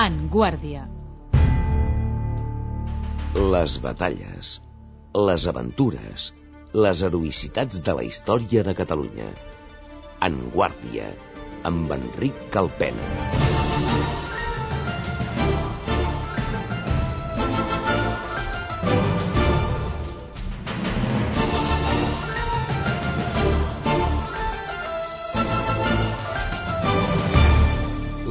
En Guàrdia. Les batalles, les aventures, les heroïcitats de la història de Catalunya. En Guàrdia, amb Enric Calpena.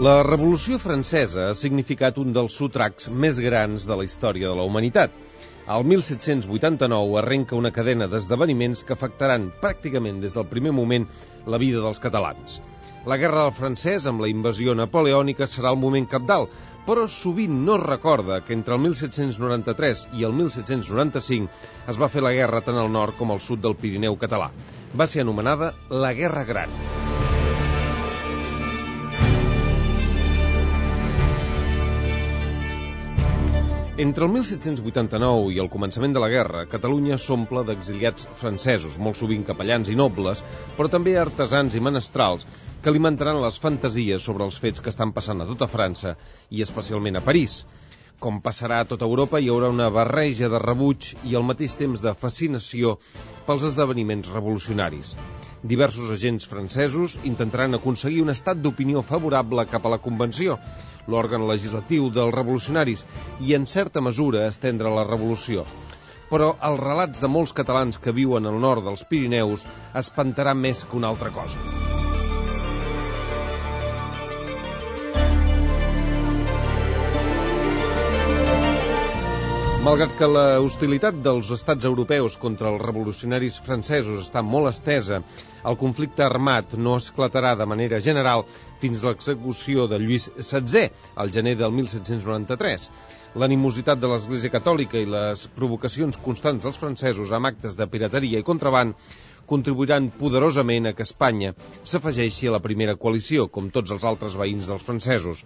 La Revolució Francesa ha significat un dels sotracs més grans de la història de la humanitat. Al 1789 arrenca una cadena d'esdeveniments que afectaran pràcticament des del primer moment la vida dels catalans. La Guerra del Francès, amb la invasió napoleònica, serà el moment cabdal, però sovint no es recorda que entre el 1793 i el 1795 es va fer la guerra tant al nord com al sud del Pirineu català. Va ser anomenada la Guerra Gran. Entre el 1789 i el començament de la guerra, Catalunya s'omple d'exiliats francesos, molt sovint capellans i nobles, però també artesans i menestrals, que alimentaran les fantasies sobre els fets que estan passant a tota França i especialment a París. Com passarà a tota Europa, hi haurà una barreja de rebuig i al mateix temps de fascinació pels esdeveniments revolucionaris. Diversos agents francesos intentaran aconseguir un estat d'opinió favorable cap a la Convenció, l'òrgan legislatiu dels revolucionaris, i en certa mesura estendre la revolució. Però els relats de molts catalans que viuen al nord dels Pirineus espantarà més que una altra cosa. Malgrat que la hostilitat dels estats europeus contra els revolucionaris francesos està molt estesa, el conflicte armat no esclatarà de manera general fins a l'execució de Lluís XVI, al gener del 1793. L'animositat de l'Església Catòlica i les provocacions constants dels francesos amb actes de pirateria i contraban contribuiran poderosament a que Espanya s'afegeixi a la primera coalició, com tots els altres veïns dels francesos.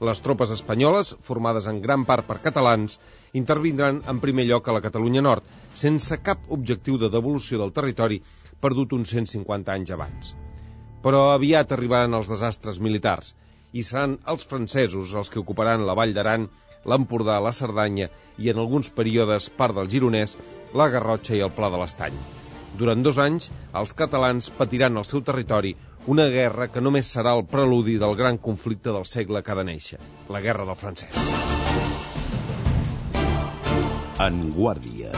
Les tropes espanyoles, formades en gran part per catalans, intervindran en primer lloc a la Catalunya Nord, sense cap objectiu de devolució del territori perdut uns 150 anys abans. Però aviat arribaran els desastres militars, i seran els francesos els que ocuparan la Vall d'Aran, l'Empordà, la Cerdanya i, en alguns períodes, part del Gironès, la Garrotxa i el Pla de l'Estany. Durant 2 anys, els catalans patiran al seu territori una guerra que només serà el preludi del gran conflicte del segle que ha de néixer, la Guerra del Francès. En Guàrdia,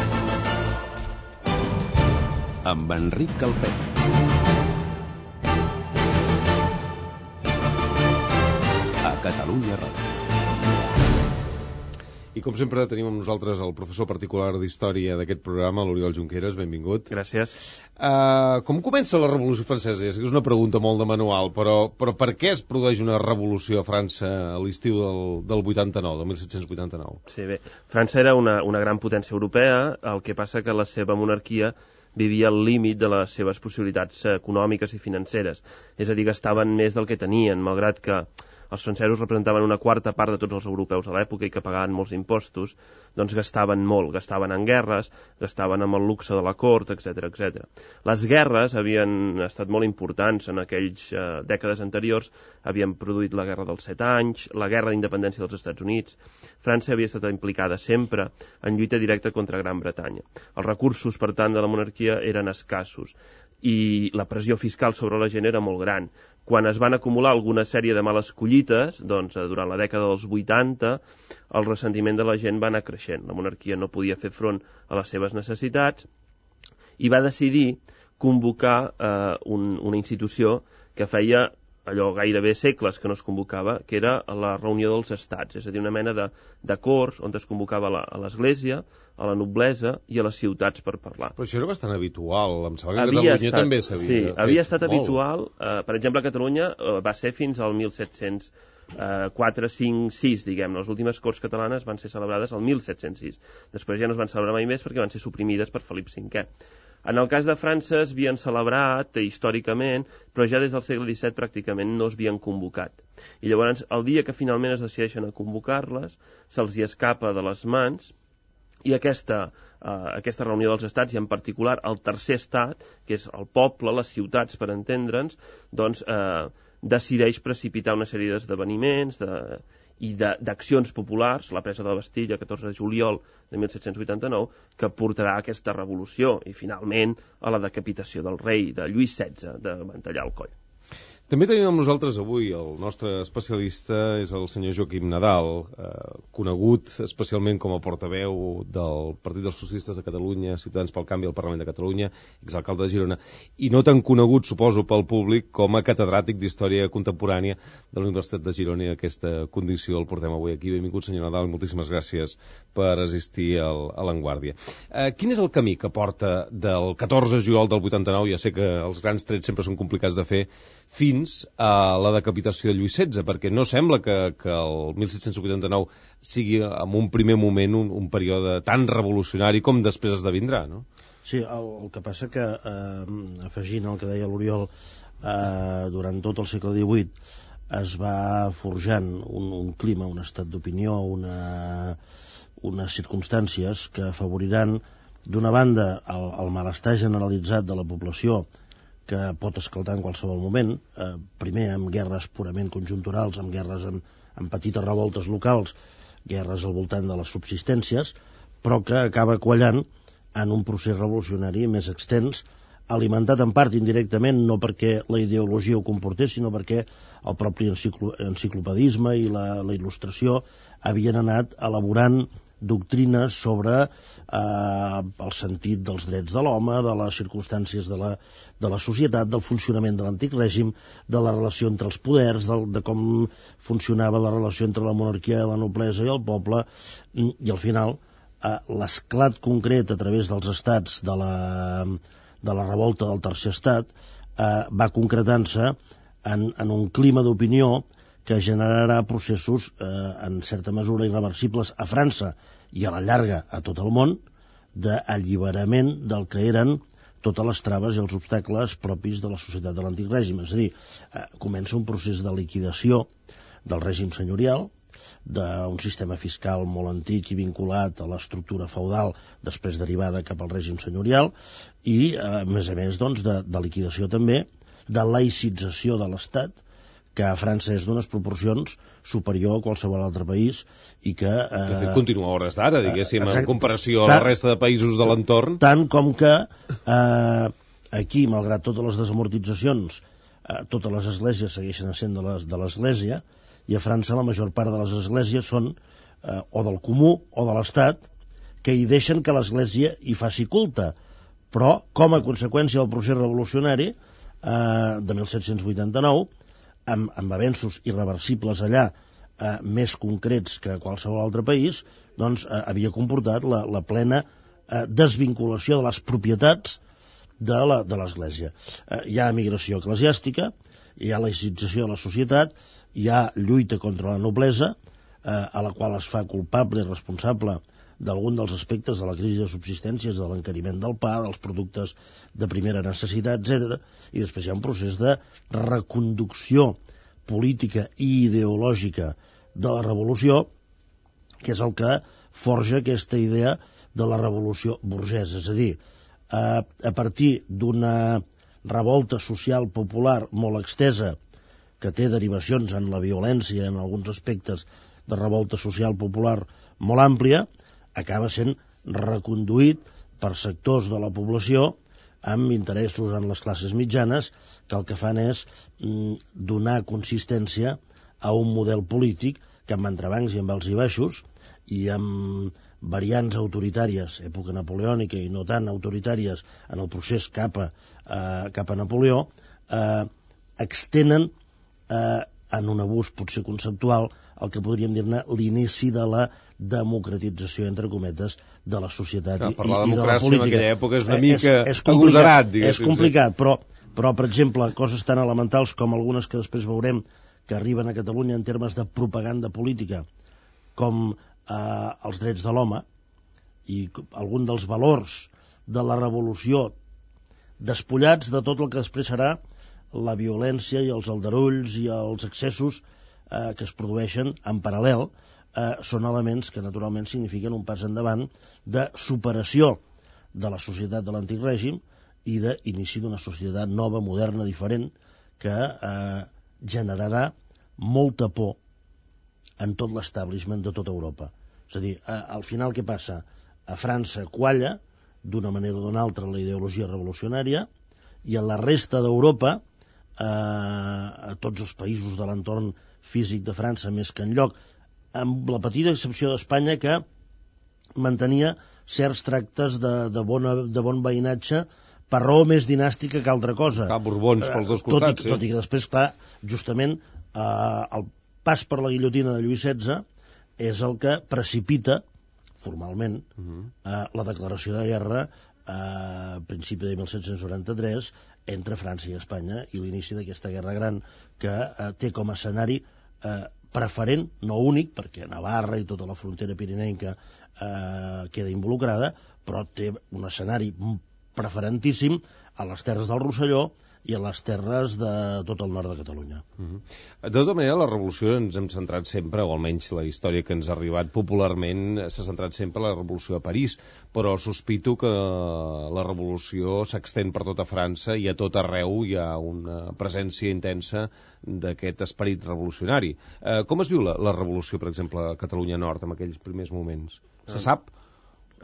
amb Enric Calpena. A Catalunya Ràdio. I com sempre tenim amb nosaltres el professor particular d'Història d'aquest programa, l'Oriol Junqueras, benvingut. Gràcies. Com comença la Revolució Francesa? És una pregunta molt de manual, però per què es produeix una revolució a França a l'estiu del 89, del 1789? Sí, bé, França era una gran potència europea, el que passa que la seva monarquia vivia al límit de les seves possibilitats econòmiques i financeres. És a dir, gastaven més del que tenien, malgrat que els francesos representaven una quarta part de tots els europeus a l'època i que pagaven molts impostos, doncs gastaven molt, gastaven en guerres, gastaven amb el luxe de la cort, etc. etc. Les guerres havien estat molt importants en aquells dècades anteriors, havien produït la Guerra dels 7 anys, la Guerra d'Independència dels Estats Units. França havia estat implicada sempre en lluita directa contra Gran Bretanya. Els recursos, per tant, de la monarquia eren escassos i la pressió fiscal sobre la gent era molt gran. Quan es van acumular alguna sèrie de males collites, doncs durant la dècada dels 80, el ressentiment de la gent va anar creixent. La monarquia no podia fer front a les seves necessitats i va decidir convocar una institució que feia allò gairebé segles que no es convocava, que era la reunió dels estats, és a dir, una mena de corts on es convocava a l'Església, a la noblesa i a les ciutats per parlar. Però això era bastant habitual, em sembla que a Catalunya també s'havia fet. Sí, havia estat habitual. Per exemple, a Catalunya va ser fins al 1704, 5, 6, diguem. Les últimes corts catalanes van ser celebrades al 1706. Després ja no es van celebrar mai més perquè van ser suprimides per Felip V. En el cas de França es havien celebrat històricament, però ja des del segle XVII pràcticament no es havien convocat. I llavors, el dia que finalment es decideixen a convocar-les, se'ls hi escapa de les mans, i aquesta reunió dels estats, i en particular el tercer estat, que és el poble, les ciutats, per entendre'ns, doncs decideix precipitar una sèrie d'esdeveniments i d'accions populars, la presa de la Bastilla, 14 de juliol de 1789, que portarà a aquesta revolució i, finalment, a la decapitació del rei, de Lluís XVI, de Mantellar el coll. També tenim amb nosaltres avui el nostre especialista és el senyor Joaquim Nadal, conegut especialment com a portaveu del Partit dels Socialistes de Catalunya, Ciutadans pel Canvi al Parlament de Catalunya, exalcalde de Girona, i no tan conegut, suposo, pel públic com a catedràtic d'Història Contemporània de la Universitat de Girona, i aquesta condició el portem avui aquí. Benvingut, senyor Nadal, moltíssimes gràcies per assistir a l'Avantguàrdia. Quin és el camí que porta del 14 de juliol del 89, ja sé que els grans trets sempre són complicats de fer, fins a la decapitació de Lluís XVI, perquè no sembla que el 1789 sigui en un primer moment un període tan revolucionari com després esdevindrà, no? Sí, el que passa que, afegint el que deia l'Oriol, durant tot el segle XVIII es va forjant un clima, un estat d'opinió, unes circumstàncies que afavoriran, d'una banda, el malestar generalitzat de la població, que pot esclatar en qualsevol moment, primer amb guerres purament conjunturals, amb guerres amb petites revoltes locals, guerres al voltant de les subsistències, però que acaba quallant en un procés revolucionari més extens, alimentat en part indirectament, no perquè la ideologia ho comportés, sinó perquè el propi enciclopedisme i la il·lustració havien anat elaborant doctrines sobre el sentit dels drets de l'home, de les circumstàncies de la societat, del funcionament de l'antic règim, de la relació entre els poders, de com funcionava la relació entre la monarquia i la noblesa i el poble, i al final l'esclat concret a través dels estats de la revolta del tercer estat va concretant-se en un clima d'opinió que generarà processos en certa mesura irreversibles a França i a la llarga a tot el món, d'alliberament del que eren totes les traves i els obstacles propis de la societat de l'antic règim. És a dir, comença un procés de liquidació del règim senyorial, d'un sistema fiscal molt antic i vinculat a l'estructura feudal, després derivada cap al règim senyorial, i, a més, doncs, de liquidació també, de laïcització de l'Estat, que a França és d'unes proporcions superior a qualsevol altre país i que... De fet, continua a hores d'ara, diguéssim, en comparació a la resta de països de l'entorn. Tant com que aquí, malgrat totes les desamortitzacions, totes les esglésies segueixen sent de l'Església, i a França la major part de les esglésies són o del comú o de l'Estat, que hi deixen que l'Església hi faci culte. Però, com a conseqüència del procés revolucionari de 1789, amb avenços irreversibles allà, més concrets que qualsevol altre país, doncs havia comportat la plena desvinculació de les propietats de l'Església. Hi ha emigració eclesiàstica, hi ha laïcització de la societat, hi ha lluita contra la noblesa, a la qual es fa culpable i responsable d'algun dels aspectes de la crisi de subsistències, de l'encariment del pa, dels productes de primera necessitat, etc. I després hi ha un procés de reconducció política i ideològica de la revolució, que és el que forja aquesta idea de la revolució burgesa. És a dir, a partir d'una revolta social popular molt extesa, que té derivacions en la violència, en alguns aspectes de revolta social popular molt àmplia, acaba sent reconduït per sectors de la població amb interessos en les classes mitjanes, que el que fan és donar consistència a un model polític que amb entrebancs i amb alts i baixos i amb variants autoritàries, època napoleònica i no tan autoritàries en el procés cap a Napoleó, extenen en un abús potser conceptual el que podríem dir-ne l'inici de la democratització, entre cometes, de la societat i de la política. Per la democràcia en aquella època és una mica agosarat, diguéssim. És complicat, però, per exemple, coses tan elementals com algunes que després veurem que arriben a Catalunya en termes de propaganda política, com els drets de l'home i algun dels valors de la revolució despullats de tot el que després serà la violència i els aldarulls i els excessos que es produeixen en paral·lel, són elements que naturalment signifiquen un pas endavant de superació de la societat de l'antic règim i d'inici d'una societat nova, moderna, diferent, que generarà molta por en tot l'establishment de tota Europa. És a dir, al final què passa? A França qualla, d'una manera o d'una altra, la ideologia revolucionària, i a la resta d'Europa, a tots els països de l'entorn físic de França, més que enlloc, amb la petita excepció d'Espanya, que mantenia certs tractes de bon veïnatge per raó més dinàstica que altra cosa. Borbons pels dos costats, tot i que després, clar, justament el pas per la guillotina de Lluís XVI és el que precipita formalment la declaració de guerra a principi de 1793 entre França i Espanya i l'inici d'aquesta guerra gran que té com a escenari preferent, no únic, perquè Navarra i tota la frontera pirinenca queda involucrada, però té un escenari preferentíssim a les terres del Rosselló i a les terres de tot el nord de Catalunya. De tota manera, la revolució ens hem centrat sempre, o almenys la història que ens ha arribat popularment, s'ha centrat sempre en la revolució a París, però sospito que la revolució s'extén per tota França i a tot arreu hi ha una presència intensa d'aquest esperit revolucionari. Com es viu la revolució, per exemple, a Catalunya Nord, en aquells primers moments? Se sap?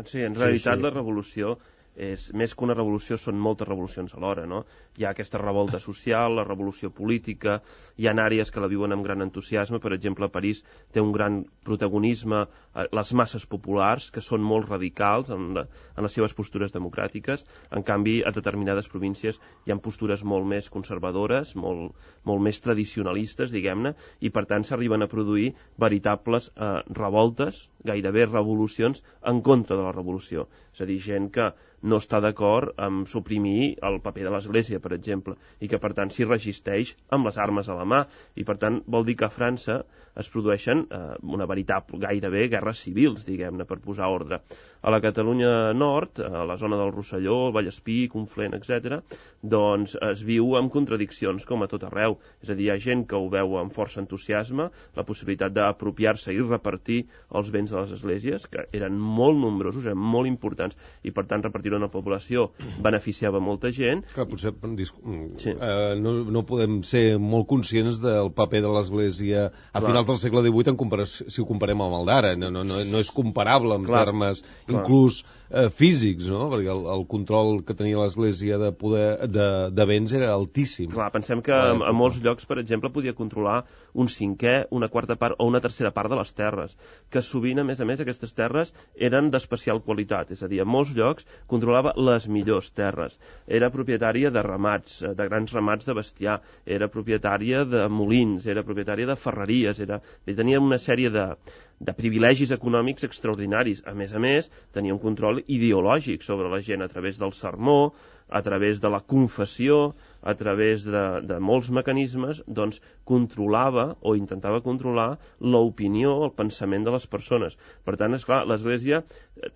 Sí, en realitat la revolució és més que una revolució, són moltes revolucions alhora, no? Hi ha aquesta revolta social, la revolució política, hi ha àrees que la viuen amb gran entusiasme, per exemple, París té un gran protagonisme, les masses populars, que són molt radicals en les seves postures democràtiques, en canvi, a determinades províncies hi ha postures molt més conservadores, molt més tradicionalistes, diguem-ne, i per tant s'arriben a produir veritables revoltes, gairebé revolucions, en contra de la revolució. És a dir, gent que no està d'acord amb suprimir el paper de l'Església, per exemple, i que per tant s'hi resisteix amb les armes a la mà, i per tant vol dir que a França es produeixen una veritable, gairebé, guerres civils, diguem-ne, per posar ordre. A la Catalunya Nord, a la zona del Rosselló, el Vallespí, Conflent, etc., doncs es viu amb contradiccions com a tot arreu. És a dir, hi ha gent que ho veu amb força entusiasme, la possibilitat d'apropiar-se i repartir els béns de les esglésies, que eren molt nombrosos, eren molt importants, i per tant repartir-ho en la població beneficiava molta gent. Clar, potser no podem ser molt conscients del paper de l'Església a finals del segle XVIII si ho comparem amb el d'ara. No és comparable en termes inclús físics, no? Perquè el control que tenia l'Església de poder de béns era altíssim. Clar, pensem que a molts llocs, per exemple, podia controlar un cinquè, una quarta part o una tercera part de les terres, que sovint, a més, aquestes terres eren d'especial qualitat, és a dir, a molts llocs controlava les millors terres. Era propietària de ramats, de grans ramats de bestiar, era propietària de molins, era propietària de ferreries, tenia una sèrie de privilegis econòmics extraordinaris. A més, tenia un control ideològic sobre la gent a través del sermó, a través de la confessió, a través de molts mecanismes, doncs controlava o intentava controlar l'opinió, el pensament de les persones. Per tant, esclar, l'Església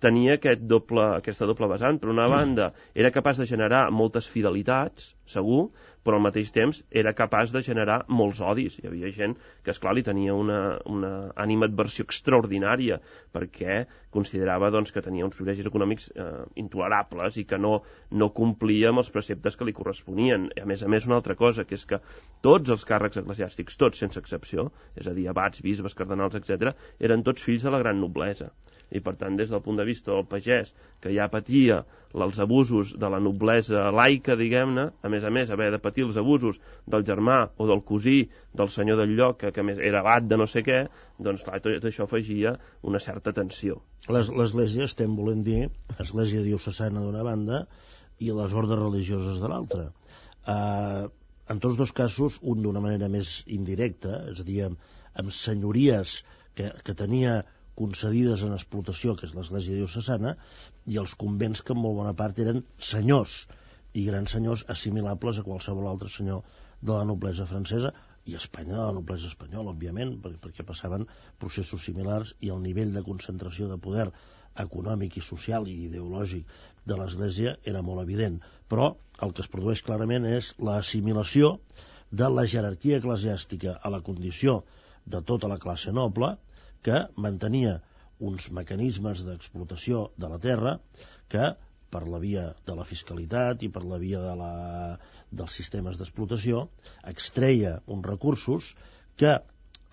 tenia aquesta doble vessant. Per una banda, era capaç de generar moltes fidelitats, segur, però al mateix temps era capaç de generar molts odis. Hi havia gent que, esclar, li tenia una animadversió extraordinària perquè considerava doncs, que tenia uns privilegis econòmics intolerables i que no complia amb els preceptes que li corresponien. A més, una altra cosa, que és que tots els càrrecs eclesiàstics, tots sense excepció, és a dir, abats, bisbes, cardenals, etc., eren tots fills de la gran noblesa. I, per tant, des del punt de vista del pagès, que ja patia els abusos de la noblesa laica, diguem-ne, a més, haver de patir els abusos del germà o del cosí del senyor del lloc, que a més era abat de no sé què, doncs, clar, tot això afegia una certa tensió. L'Església, estem volent dir, Església diocesana d'una banda i les ordes religioses de l'altra. En tots dos casos, un d'una manera més indirecta, és a dir, amb senyories que tenia concedides en explotació, que és l'Església diocesana, i els convents que en molt bona part eren senyors, i grans senyors assimilables a qualsevol altre senyor de la noblesa francesa, i Espanya de la noblesa espanyola, òbviament, perquè passaven processos similars i el nivell de concentració de poder econòmic i social i ideològic de l'Església era molt evident. Però el que es produeix clarament és l'assimilació de la jerarquia eclesiàstica a la condició de tota la classe noble, que mantenia uns mecanismes d'explotació de la terra que, per la via de la fiscalitat i per la via dels sistemes d'explotació, extreia uns recursos que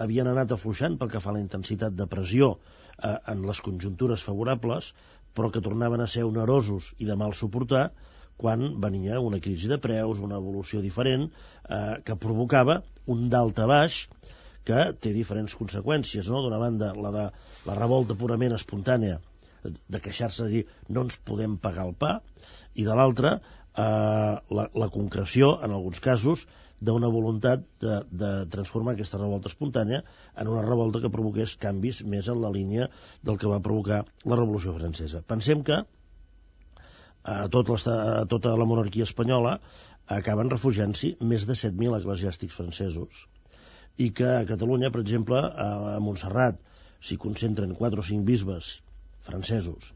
havien anat afluixant pel que fa a la intensitat de pressió en les conjuntures favorables, però que tornaven a ser onerosos i de mal suportar quan venia una crisi de preus, una evolució diferent, que provocava un dalt a baix que té diferents conseqüències, no? D'una banda, la revolta purament espontània, de queixar-se de dir no ens podem pagar el pa, i de l'altra, la concreció, en alguns casos, d'una voluntat de transformar aquesta revolta espontània en una revolta que provoqués canvis més en la línia del que va provocar la Revolució Francesa. Pensem que tota la monarquia espanyola acaben refugiant-s'hi més de 7.000 eclesiàstics francesos, i que a Catalunya, per exemple, a Montserrat s'hi concentren 4 o 5 bisbes francesos,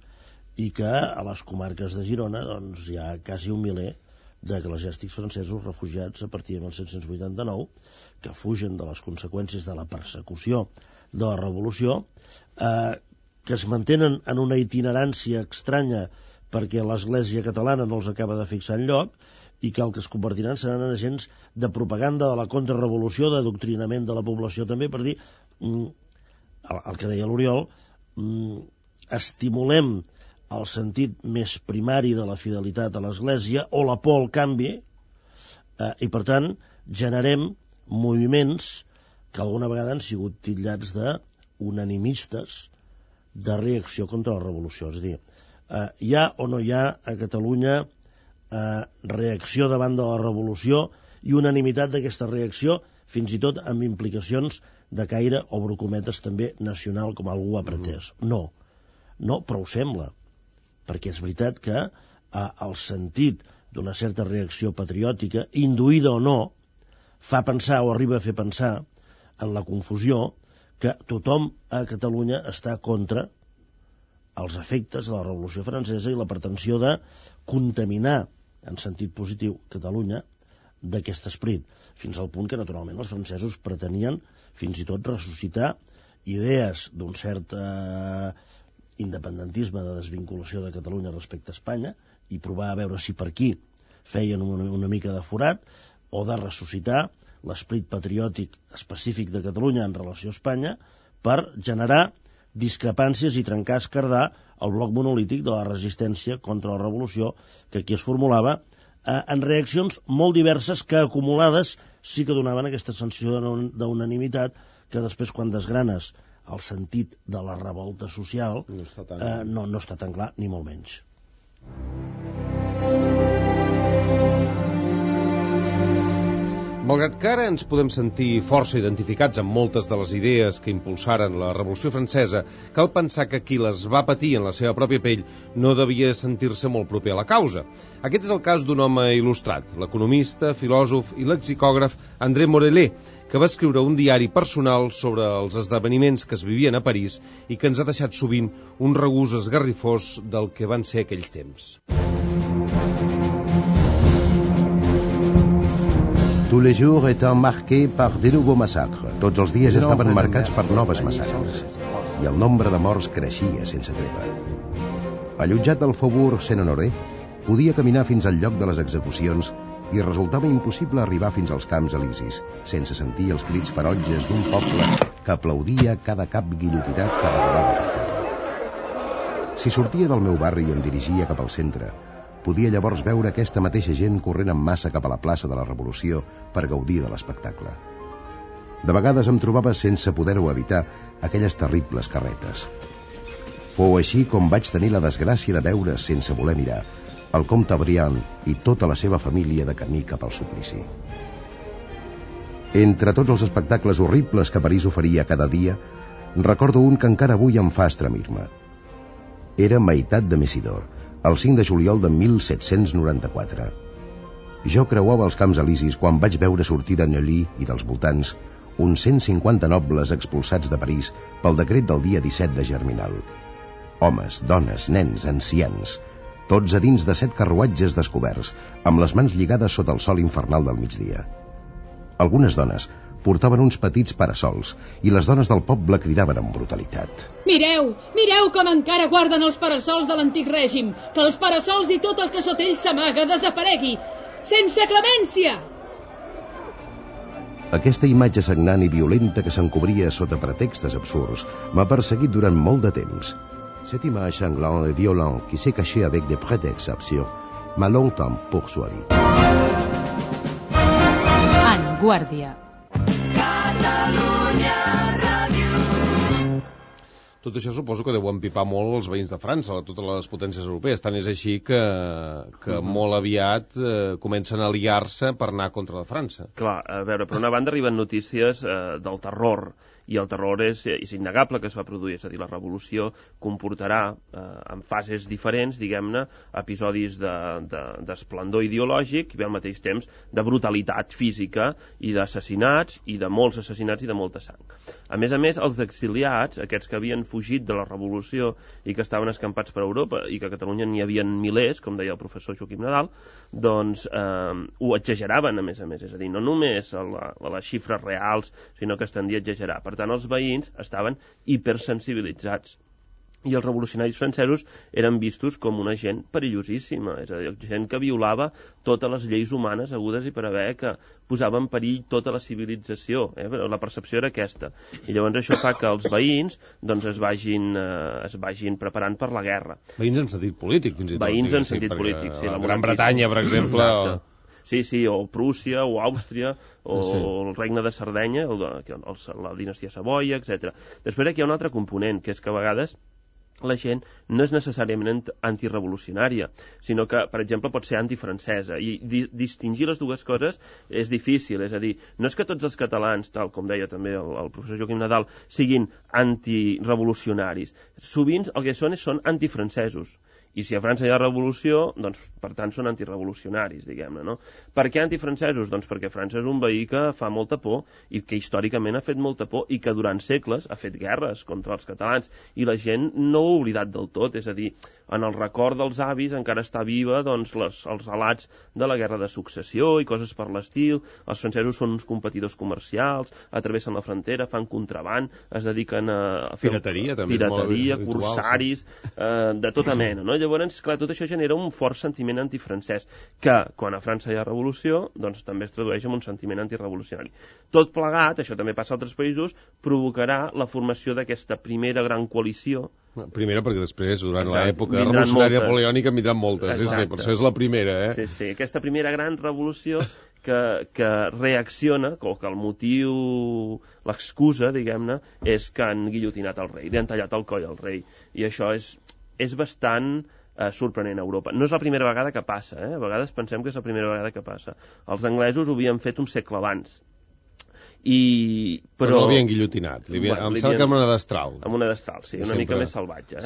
i que a les comarques de Girona doncs, hi ha quasi 1 miler d'eclesiàstics francesos refugiats a partir de 1789, que fugen de les conseqüències de la persecució de la Revolució, que es mantenen en una itinerància estranya perquè l'Església catalana no els acaba de fixar enlloc, i que el que es convertiran seran agents de propaganda de la contrarrevolució, d'adoctrinament de la població també, per dir, el que deia l'Oriol, estimulem el sentit més primari de la fidelitat a l'Església o la por al canvi, i per tant generem moviments que alguna vegada han sigut titllats d'unanimistes de reacció contra la revolució. És a dir, hi ha o no hi ha a Catalunya reacció davant de la revolució i unanimitat d'aquesta reacció, fins i tot amb implicacions de caire, obro cometes, també nacional, com algú ha pretès. No, però ho sembla, perquè és veritat que el sentit d'una certa reacció patriòtica, induïda o no, fa pensar o arriba a fer pensar en la confusió que tothom a Catalunya està contra els efectes de la Revolució Francesa i la pretensió de contaminar, en sentit positiu, Catalunya d'aquest esperit, fins al punt que, naturalment, els francesos pretenien fins i tot ressuscitar idees d'un cert independentisme, de desvinculació de Catalunya respecte a Espanya, i provar a veure si per aquí feien una mica de forat, o de ressuscitar l'esperit patriòtic específic de Catalunya en relació a Espanya per generar discrepàncies i trencar, esquerdar el bloc monolític de la resistència contra la revolució, que aquí es formulava en reaccions molt diverses que, acumulades, sí que donaven aquesta sensació d'unanimitat que després, quan desgranes el sentit de la revolta social, no està tan clar, ni molt menys. Malgrat que ara ens podem sentir força identificats amb moltes de les idees que impulsaren la Revolució Francesa, cal pensar que qui les va patir en la seva pròpia pell no devia sentir-se molt proper a la causa. Aquest és el cas d'un home il·lustrat, l'economista, filòsof i lexicògraf André Morellet, que va escriure un diari personal sobre els esdeveniments que es vivien a París i que ens ha deixat sovint un regús esgarrifós del que van ser aquells temps. Tous les jours étant marqués par de nouveaux massacres. Tots els dies estaven marcats per noves massacres, i el nombre de morts creixia sense treva. Allotjat al Faubourg Saint-Honoré, podia caminar fins al lloc de les execucions i resultava impossible arribar fins als Camps Elisis sense sentir els crits ferotges d'un poble que aplaudia cada cap guillotinat que rodava per terra. Si sortia del meu barri i em dirigia cap al centre, podia llavors veure aquesta mateixa gent corrent en massa cap a la plaça de la Revolució per gaudir de l'espectacle. De vegades em trobava sense poder-ho evitar aquelles terribles carretes. Fou així com vaig tenir la desgràcia de veure, sense voler mirar, el comte Briand i tota la seva família de camí cap al suplici. Entre tots els espectacles horribles que París oferia cada dia, recordo un que encara avui em fa estremir-me. Era Meitat de Messidor, el 5 de juliol de 1794. Jo creuava els Camps Elisis quan vaig veure sortir de Neuilly i dels voltants uns 150 nobles expulsats de París pel decret del dia 17 de Germinal. Homes, dones, nens, ancians, tots a dins de 7 carruatges descoberts, amb les mans lligades sota el sol infernal del migdia. Algunes dones portaven uns petits parasols i les dones del poble cridaven amb brutalitat. Mireu, mireu com encara guarden els parasols de l'antic règim, que els parasols i tot el que sota ells s'amaga desaparegui. Sense clemència! Aquesta imatge sagnant i violenta que s'encobria sota pretextes absurds m'ha perseguit durant molt de temps. Cette image sanglante et violente qui s'est cachée avec des prétextes absurdes m'a longtemps poursuivi. En Guàrdia. Tot això suposo que deu empipar molt els veïns de França, totes les potències europees. Tant és així que molt aviat comencen a aliar-se per anar contra la França. Clar, a veure, per una banda arriben notícies del terror, i el terror és innegable que es va produir, és a dir, la revolució comportarà en fases diferents, diguem-ne, episodis d'esplendor ideològic i al mateix temps de brutalitat física i d'assassinats, i de molts assassinats i de molta sang. A més, els exiliats, aquests que havien fugit de la revolució i que estaven escampats per Europa i que a Catalunya n'hi havia milers, com deia el professor Joaquim Nadal, doncs ho exageraven, a més, és a dir, no només a les xifres reals, sinó que es tendia a exagerar. Per tant, els veïns estaven hipersensibilitzats i els revolucionaris francesos eren vistos com una gent perillosíssima, és a dir, gent que violava totes les lleis humanes hagudes i per haver, que posava en perill tota la civilització, la percepció era aquesta. I llavors això fa que els veïns doncs, es vagin preparant per la guerra. Veïns en sentit polític, fins i tot. Veïns en sentit polític, sí. La Gran Bretanya, per exemple... Sí, o Prússia, o Àustria, o el regne de Sardenya, la dinastia Savoia, etc. Després aquí hi ha un altre component, que és que a vegades la gent no és necessàriament antirevolucionària, sinó que, per exemple, pot ser antifrancesa, i distingir les dues coses és difícil, és a dir, no és que tots els catalans, tal com deia també el professor Joaquim Nadal, siguin antirevolucionaris. Sovint el que són antifrancesos. I si a França hi ha revolució, doncs, per tant, són antirevolucionaris, diguem-ne, no? Per què antifrancesos? Doncs perquè França és un veí que fa molta por i que històricament ha fet molta por i que durant segles ha fet guerres contra els catalans i la gent no ho ha oblidat del tot, és a dir, en el record dels avis encara està viva doncs, els relats de la guerra de successió i coses per l'estil. Els francesos són uns competidors comercials, atravessen la frontera, fan contraband, es dediquen a fer pirateria, corsaris, de tota mena, no? Llavors, clar, tot això genera un fort sentiment antifrancès, que quan a França hi ha revolució, doncs també es tradueix en un sentiment antirevolucionari. Tot plegat, això també passa a altres països, provocarà la formació d'aquesta primera gran coalició. Primera, perquè després, durant l'època revolucionària napoleònica, en vindran moltes. Sí, per això és la primera, Sí, aquesta primera gran revolució que reacciona, o que el motiu, l'excusa, diguem-ne, és que han guillotinat el rei, li han tallat el coll al rei. I això és bastant sorprenent a Europa. No és la primera vegada que passa, a vegades pensem que és la primera vegada que passa. Els anglesos ho havien fet un segle abans. Però no l'havien guillotinat, em sembla que amb una destral. Amb una destral, sí, una mica més salvatge.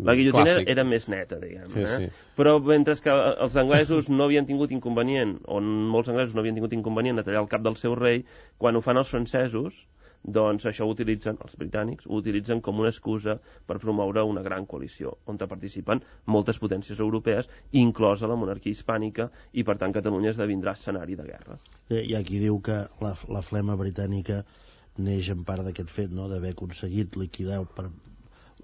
La guillotina era més neta, diguem. Però mentre que els anglesos no havien tingut inconvenient, o molts anglesos no havien tingut inconvenient a tallar el cap del seu rei, quan ho fan els francesos, doncs això els britànics ho utilitzen com una excusa per promoure una gran coalició on participen moltes potències europees, inclosa la monarquia hispànica, i per tant Catalunya esdevindrà escenari de guerra. Hi ha qui diu que la flema britànica neix en part d'aquest fet, no?, d'haver aconseguit liquidar per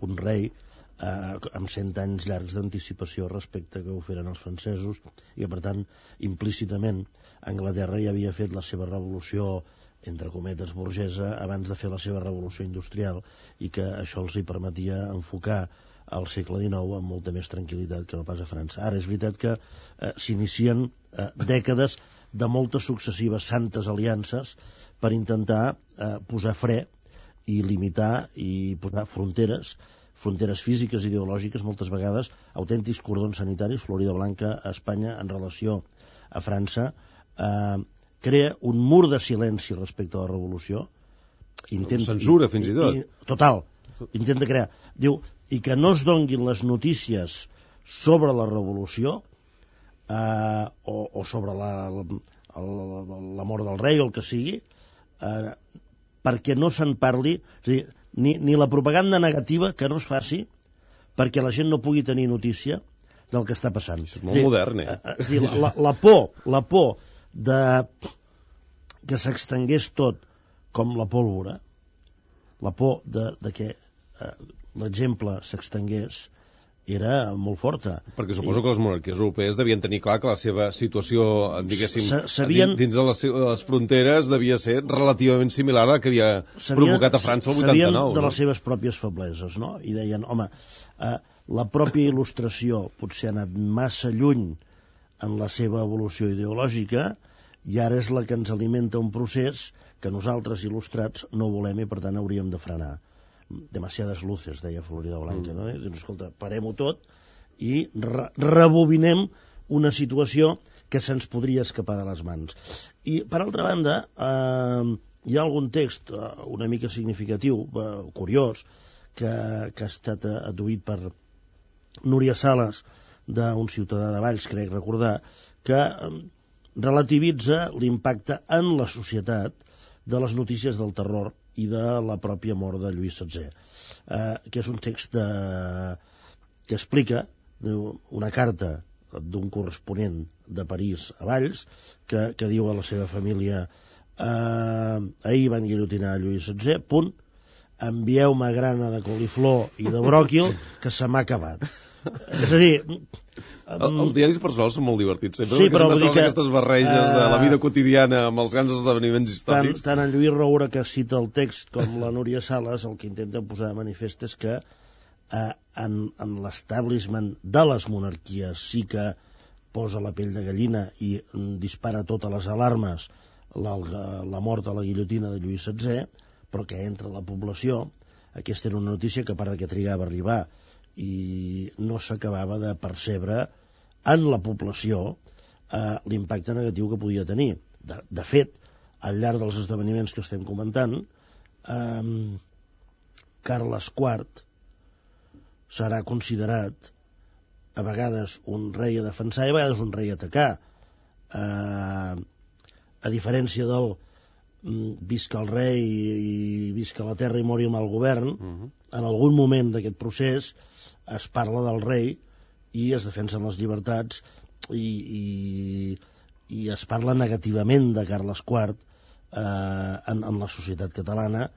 un rei amb 100 anys llargs d'anticipació respecte que ho feren els francesos, i que per tant implícitament Anglaterra ja havia fet la seva revolució entre cometes burgesa abans de fer la seva revolució industrial, i que això els hi permetia enfocar al segle XIX amb molta més tranquil·litat que no pas a França. Ara és veritat que s'inicien dècades de moltes successives santes aliances per intentar posar fre i limitar i posar fronteres físiques i ideològiques, moltes vegades autèntics cordons sanitaris. Florida Blanca a Espanya en relació a França crea un mur de silenci respecte a la revolució. Censura, fins i tot. Total. Intenta crear. Diu, i que no es donguin les notícies sobre la revolució o sobre la mort del rei o el que sigui, perquè no se'n parli, és a dir, ni la propaganda negativa que no es faci perquè la gent no pugui tenir notícia del que està passant. Això és molt modern, És a dir, la por que s'extengués tot com la pólvora, la por de que l'exemple s'extengués, era molt forta. Perquè suposo que les monarquies europees devien tenir clar que la seva situació, diguéssim, dins de les fronteres devia ser relativament similar a la que havia provocat a França el 89. Sabien de les seves pròpies febleses, no? I deien, home, la pròpia il·lustració potser ha anat massa lluny en la seva evolució ideològica i ara és la que ens alimenta un procés que nosaltres, il·lustrats, no volem i per tant hauríem de frenar. Demasiades luces, deia Florida Blanca, no? Doncs, escolta, parem-ho tot i rebobinem una situació que se'ns podria escapar de les mans. I, per altra banda, hi ha algun text una mica significatiu, curiós, que ha estat adduït per Núria Sales, d'un ciutadà de Valls, crec recordar, que relativitza l'impacte en la societat de les notícies del terror i de la pròpia mort de Lluís XVI, que és un text que explica una carta d'un corresponent de París a Valls que diu a la seva família ahir van guillotinar Lluís XVI, punt, envieu-me grana de coliflor i de bròquil que se m'ha acabat. És a dir... Els diaris personals són molt divertits, sempre, sí, però sempre aquestes barreges de la vida quotidiana amb els grans esdeveniments històrics. Tant en Lluís Roura, que cita el text, com la Núria Sales, el que intenten posar de manifest és que en l'establishment de les monarquies sí que posa la pell de gallina i dispara totes les alarmes la mort a la guillotina de Lluís XVI, però que entre la població, aquesta era una notícia que a part que trigava a arribar i no s'acabava de percebre en la població l'impacte negatiu que podia tenir. De fet, al llarg dels esdeveniments que estem comentant, Carles IV serà considerat a vegades un rei a defensar i a vegades un rei a atacar. A diferència del visca el rei i visca la terra i mori el mal govern, en algun moment d'aquest procés es parla del rei i es defensen les llibertats i es parla negativament de Carles IV en la societat catalana,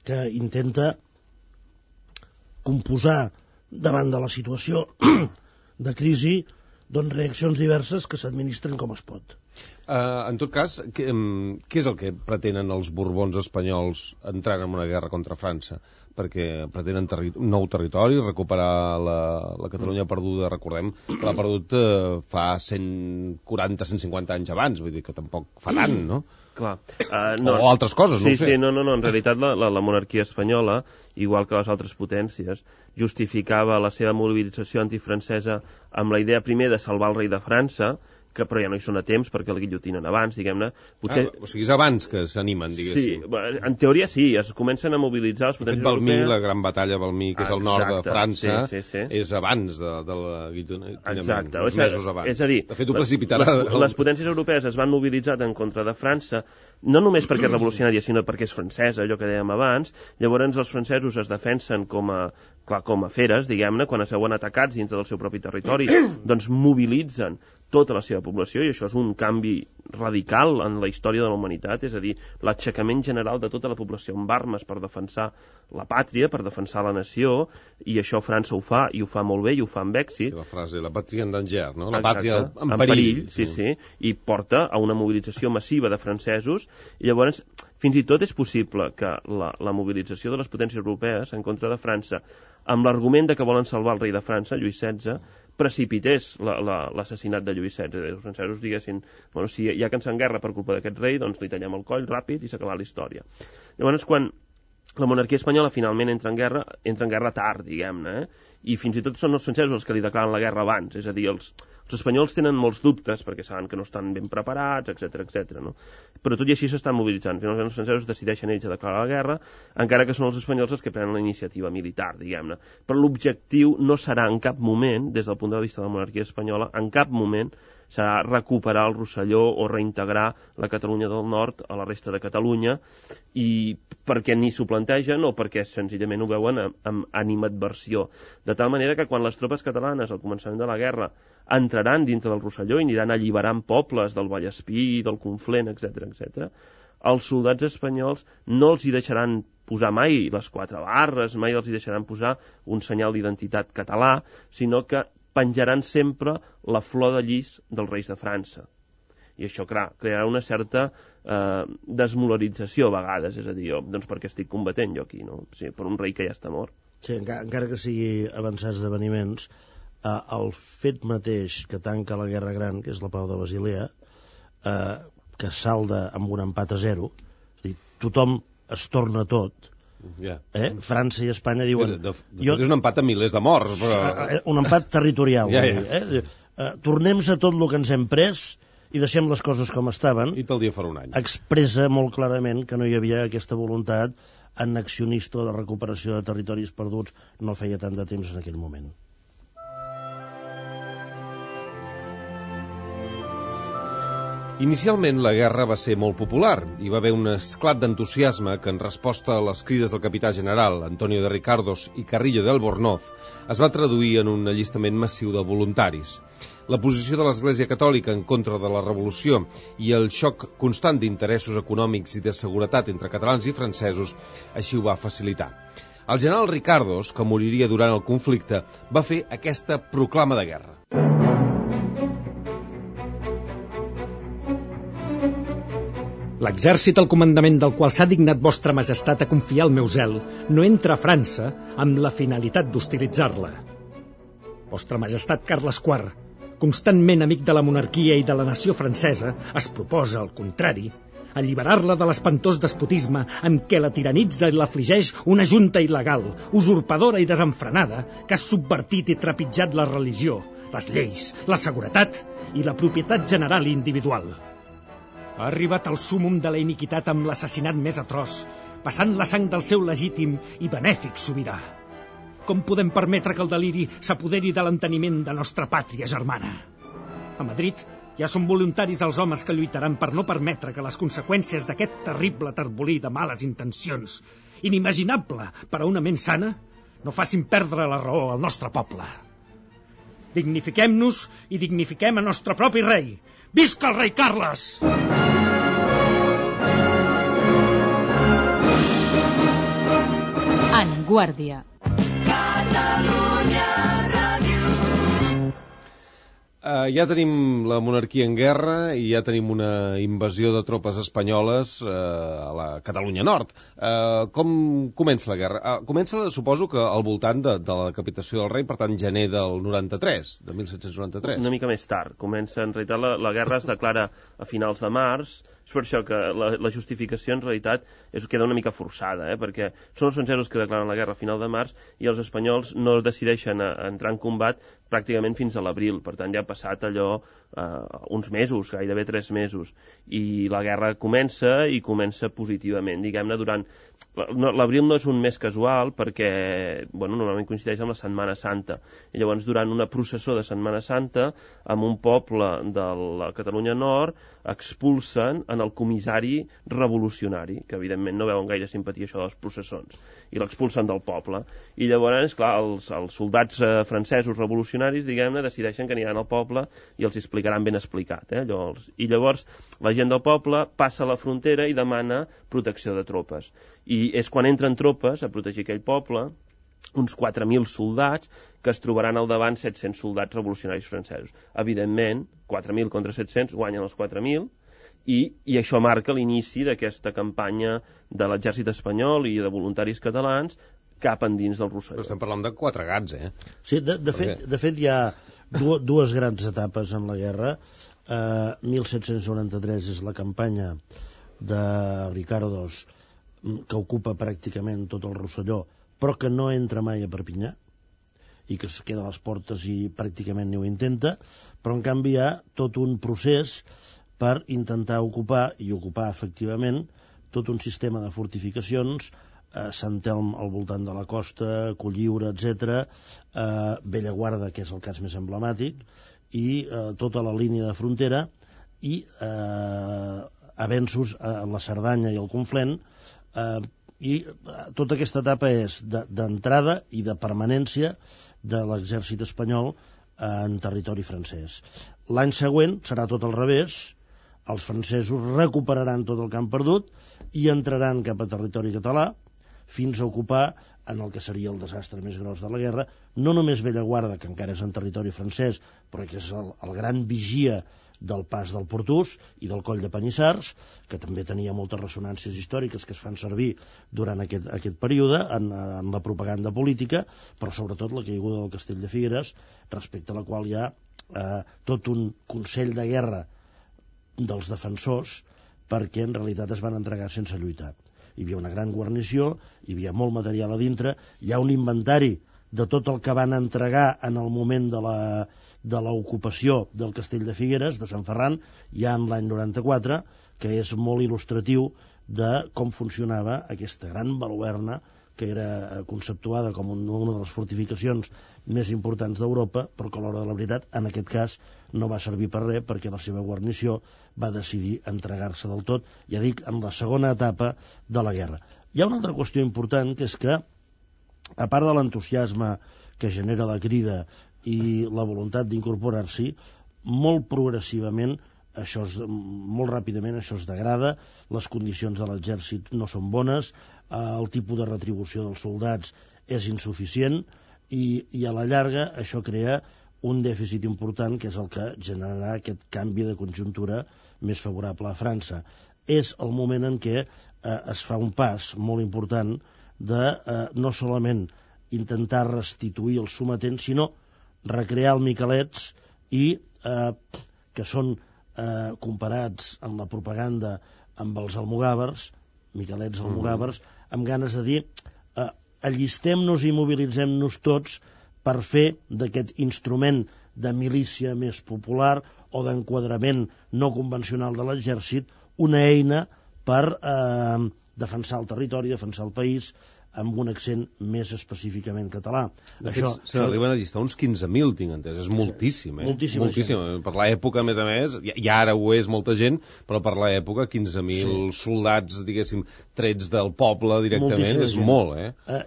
que intenta composar davant de la situació de crisi doncs reaccions diverses que s'administren com es pot. En tot cas, què és el que pretenen els borbons espanyols entrant en una guerra contra França? Perquè pretenen un nou territori, recuperar la Catalunya perduda, recordem que l'ha perdut fa 140-150 anys abans, vull dir que tampoc fa tant, no? Clar. O altres coses, no ho sé. Sí, no, en realitat la monarquia espanyola, igual que les altres potències, justificava la seva mobilització antifrancesa amb la idea primer de salvar el rei de França, que però ja no hi són a temps perquè el guillotinen abans, diguem-ne. Potser... o sigui, és abans que s'animen, diguéssim. Sí, en teoria sí, es comencen a mobilitzar les potències europees. Valmy, la gran batalla de Valmy, que és al nord de França, sí. És abans del guillotinament, exacte. uns mesos abans. És a dir, de fet, ho precipitarà... Les potències europees es van mobilitzar en contra de França, no només perquè és revolucionària, sinó perquè és francesa, allò que dèiem abans. Llavors els francesos es defensen com a feres, diguem-ne, quan es veuen atacats dintre del seu propi territori, doncs mobilitzen tota la seva població, i això és un canvi radical en la història de la humanitat, és a dir, l'aixecament general de tota la població amb armes per defensar la pàtria, per defensar la nació, i això França ho fa, i ho fa molt bé, i ho fa amb èxit. Sí, la frase, la pàtria en danger, no? La exacte, pàtria en perill. Sí, i porta a una mobilització massiva de francesos, i llavors fins i tot és possible que la mobilització de les potències europees en contra de França, amb l'argument de que volen salvar el rei de França, Lluís XVI, precipités l'assassinat de Lluís XVI. Els francesos diguessin, bueno, si hi ha que ens en guerra per culpa d'aquest rei, doncs li tallem el coll ràpid i s'acaba la història. Llavors, quan la monarquia espanyola finalment entra en guerra tard, diguem-ne, i fins i tot són els francesos els que li declaren la guerra abans, és a dir, els espanyols tenen molts dubtes perquè saben que no estan ben preparats, etc. No? Però tot i així s'estan mobilitzant. Finalment els francesos decideixen ells a declarar la guerra, encara que són els espanyols els que prenen la iniciativa militar, diguem-ne. Però l'objectiu no serà en cap moment, des del punt de vista de la monarquia espanyola, en cap moment serà recuperar el Rosselló o reintegrar la Catalunya del Nord a la resta de Catalunya, i perquè ni s'ho plantegen o perquè senzillament ho veuen amb animadversió. De tal manera que quan les tropes catalanes al començament de la guerra entraran dintre del Rosselló i aniran alliberant pobles del Vallespí, del Conflent, etc., els soldats espanyols no els hi deixaran posar mai les 4 barres, mai els hi deixaran posar un senyal d'identitat català, sinó que penjaran sempre la flor de llis dels reis de França. I això, clar, crearà una certa desmoralització a vegades, és a dir, doncs perquè estic combatent jo aquí, no? Sí, per un rei que ja està mort. Sí, encara que sigui avançats esdeveniments, el fet mateix que tanca la Guerra Gran, que és la Pau de Basilea, que salda amb un empat a 0, és a dir, tothom es torna tot, França i Espanya diuen... De fet, és un empat amb milers de morts, però... Un empat territorial, tornem a tot el que ens hem pres i deixem les coses com estaven. I tal dia farà un any. Expressa molt clarament que no hi havia aquesta voluntat annexionista de recuperació de territoris perduts, no feia tant de temps en aquell moment. Inicialment la guerra va ser molt popular. Hi va haver un esclat d'entusiasme que en resposta a les crides del capità general Antonio de Ricardos i Carrillo de Albornoz es va traduir en un allistament massiu de voluntaris. La posició de l'Església Catòlica en contra de la revolució i el xoc constant d'interessos econòmics i de seguretat entre catalans i francesos així ho va facilitar. El general Ricardos, que moriria durant el conflicte, va fer aquesta proclama de guerra. L'exèrcit al comandament del qual s'ha dignat vostra majestat a confiar el meu zel no entra a França amb la finalitat d'hostilitzar-la. Vostra majestat Carles IV, constantment amic de la monarquia i de la nació francesa, es proposa, al contrari, alliberar-la de l'espantós despotisme en què la tiranitza i l'afligeix una junta il·legal, usurpadora i desenfrenada, que ha subvertit i trepitjat la religió, les lleis, la seguretat i la propietat general i individual. Ha arribat al súmum de la iniquitat amb l'assassinat més atroç, passant la sang del seu legítim i benèfic sobirà. Com podem permetre que el deliri s'apoderi de l'enteniment de nostra pàtria germana? A Madrid ja són voluntaris els homes que lluitaran per no permetre que les conseqüències d'aquest terrible terbolí de males intencions, inimaginable per a una ment sana, no facin perdre la raó al nostre poble. Dignifiquem-nos i dignifiquem a nostre propi rei. Visca el rei Carles! En Guàrdia. Ja tenim la monarquia en guerra i ja tenim una invasió de tropes espanyoles a la Catalunya Nord. Com comença la guerra? Comença, suposo, que al voltant de la decapitació del rei, per tant, gener del 93, de 1793. Una mica més tard. Comença, en realitat, la guerra es declara a finals de març. És per això que la justificació, en realitat, queda una mica forçada, perquè són els francesos que declaren la guerra a final de març i els espanyols no decideixen entrar en combat pràcticament fins a l'abril. Per tant, ja ha passat allò uns mesos, gairebé 3 mesos. I la guerra comença i comença positivament. Diguem-ne, durant... L'abril no és un mes casual perquè normalment coincideix amb la Setmana Santa. I llavors, durant una processó de Setmana Santa, amb un poble de la Catalunya Nord, expulsen en el comissari revolucionari, que evidentment no veuen gaire simpatia això de les processons, i l'expulsen del poble. I llavors, clar, els soldats francesos revolucionaris, diguem-ne, decideixen que aniran al poble i els explicaran ben explicat. I llavors la gent del poble passa a la frontera i demana protecció de tropes. I és quan entren tropes a protegir aquell poble, uns 4.000 soldats, que es trobaran al davant 700 soldats revolucionaris francesos. Evidentment, 4.000 contra 700 guanyen els 4.000, i això marca l'inici d'aquesta campanya de l'exèrcit espanyol i de voluntaris catalans cap endins del Rosselló. Però estem parlant de 4 gats, Sí, de fet hi ha dues grans etapes en la guerra. 1793 és la campanya de Ricardos, que ocupa pràcticament tot el Rosselló, però que no entra mai a Perpinyà, i que es queda a les portes i pràcticament ni ho intenta, però en canvi hi ha tot un procés per intentar ocupar, i ocupar efectivament, tot un sistema de fortificacions, Sant Telm al voltant de la costa, Colliure, etc., Bellaguarda, que és el cas més emblemàtic, i tota la línia de frontera, i avenços a la Cerdanya i al Conflent, i tota aquesta etapa és d'entrada i de permanència de l'exèrcit espanyol en territori francès. L'any següent serà tot al revés, els francesos recuperaran tot el que han perdut i entraran cap a territori català fins a ocupar en el que seria el desastre més gros de la guerra, no només Bellaguarda, que encara és en territori francès, però que és el gran vigia del pas del Portús i del Coll de Panissars, que també tenia moltes ressonàncies històriques que es fan servir durant aquest període en la propaganda política, però sobretot la caiguda del Castell de Figueres, respecte a la qual hi ha tot un consell de guerra dels defensors, perquè en realitat es van entregar sense lluitar. Hi havia una gran guarnició, hi havia molt material a dintre, hi ha un inventari de tot el que van entregar en el moment de l'ocupació del Castell de Figueres, de Sant Ferran, ja en l'any 94, que és molt il·lustratiu de com funcionava aquesta gran baluerna que era conceptuada com una de les fortificacions més importants d'Europa, però que a l'hora de la veritat, en aquest cas, no va servir per res, perquè la seva guarnició va decidir entregar-se del tot, ja dic, en la segona etapa de la guerra. Hi ha una altra qüestió important, que és que, a part de l'entusiasme que genera la crida i la voluntat d'incorporar-s'hi, molt progressivament, molt ràpidament això es degrada, les condicions de l'exèrcit no són bones, el tipus de retribució dels soldats és insuficient i a la llarga això crea un dèficit important, que és el que generarà aquest canvi de conjuntura més favorable a França. És el moment en què es fa un pas molt important de no solament intentar restituir els sometents, sinó recrear el Miquelets i que són comparats amb la propaganda amb els almogàvers, Miquelets almogàvers, amb ganes de dir allistem-nos i mobilitzem-nos tots per fer d'aquest instrument de milícia més popular o d'enquadrament no convencional de l'exèrcit una eina per defensar el territori, defensar el país, amb un accent més específicament català. De fet, se n'arriben a llistar uns 15.000, tinc entès. És moltíssim, Moltíssim. Per l'època, a més, i ara ho és molta gent, però per l'època 15.000 soldats, diguéssim, trets del poble directament, és molt,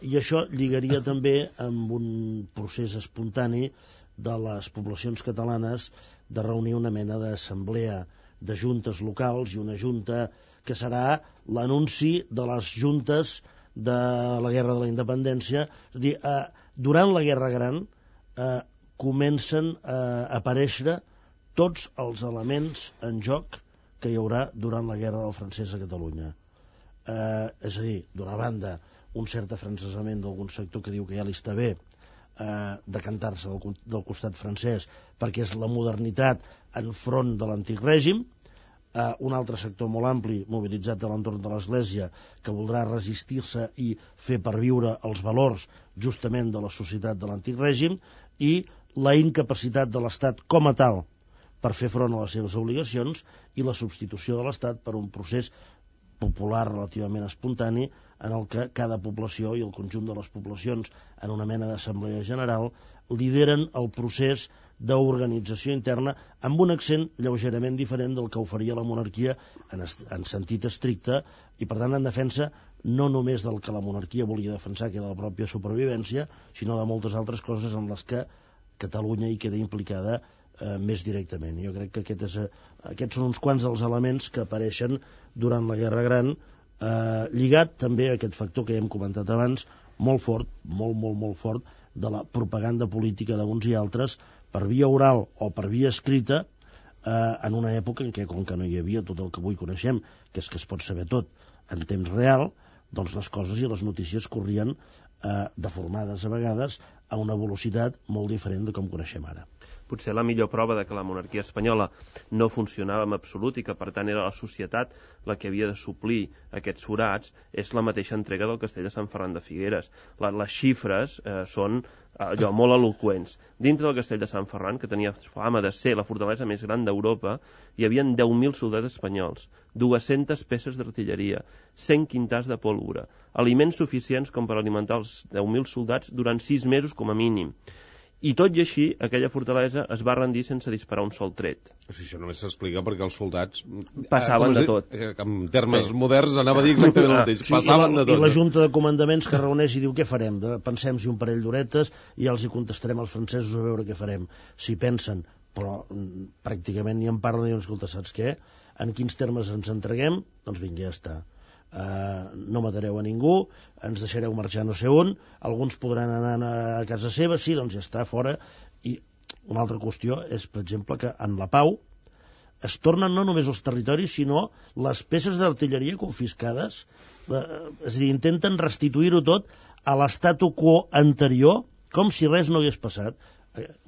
I això lligaria també amb un procés espontani de les poblacions catalanes de reunir una mena d'assemblea de juntes locals i una junta que serà l'anunci de les juntes de la Guerra de la Independència. És a dir, durant la Guerra Gran comencen a aparèixer tots els elements en joc que hi haurà durant la Guerra del Francès a Catalunya. És a dir, d'una banda, un cert afrancesament d'algun sector que diu que ja li està bé decantar-se del costat francès perquè és la modernitat enfront de l'antic règim, un altre sector molt ampli mobilitzat a l'entorn de l'Església que voldrà resistir-se i fer perviure els valors justament de la societat de l'antic règim i la incapacitat de l'Estat com a tal per fer front a les seves obligacions i la substitució de l'Estat per un procés popular relativament espontani en el que cada població i el conjunt de les poblacions en una mena d'assemblea general lideren el procés d'organització interna amb un accent lleugerament diferent del que oferia la monarquia en sentit estricte i per tant en defensa no només del que la monarquia volia defensar, que era la pròpia supervivència, sinó de moltes altres coses en les que Catalunya hi queda implicada més directament. Jo crec que aquests són uns quants dels elements que apareixen durant la Guerra Gran, lligat també a aquest factor que hem comentat abans, molt fort, molt fort, de la propaganda política d'uns i altres per via oral o per via escrita en una època en què, com que no hi havia tot el que avui coneixem, que és que es pot saber tot en temps real, doncs les coses i les notícies corrien deformades a vegades a una velocitat molt diferent de com coneixem ara. Potser la millor prova de que la monarquia espanyola no funcionava en absolut i que per tant era la societat la que havia de suplir aquests forats és la mateixa entrega del castell de Sant Ferran de Figueres. Les xifres són allò molt eloqüents. Dintre del castell de Sant Ferran, que tenia fama de ser la fortalesa més gran d'Europa, hi havia 10.000 soldats espanyols, 200 peces d'artilleria, 100 quintars de pólvora, aliments suficients com per alimentar els 10.000 soldats durant 6 mesos com a mínim. I tot i així, aquella fortalesa es va rendir sense disparar un sol tret. O sigui, això només s'explica perquè els soldats passaven de tot. En termes moderns anava a dir exactament el mateix. Passaven de tot. I la junta de comandaments que reuneix i diu què farem? Pensem-hi un parell d'horetes i ja els hi contestarem als francesos a veure què farem. Si pensen però pràcticament ni en parla, ni escolta, saps què? En quins termes ens entreguem? Doncs vinga, ja està. No matareu a ningú, ens deixareu marxar no sé on, alguns podran anar a casa seva, sí, doncs ja està, fora. I una altra qüestió és, per exemple, que en la pau es tornen no només els territoris, sinó les peces d'artilleria confiscades, és a dir, intenten restituir-ho tot a l'estatu quo anterior, com si res no hagués passat.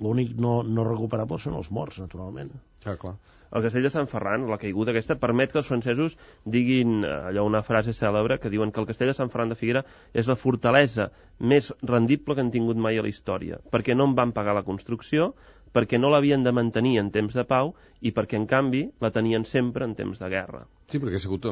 L'únic no recuperable són els morts, naturalment. Clar. El castell de Sant Ferran, la caiguda aquesta, permet que els francesos diguin allò, una frase cèlebre, que diuen que el castell de Sant Ferran de Figuera és la fortalesa més rendible que han tingut mai a la història, perquè no en van pagar la construcció, perquè no l'havien de mantenir en temps de pau i perquè, en canvi, la tenien sempre en temps de guerra. Sí, perquè ha sigut,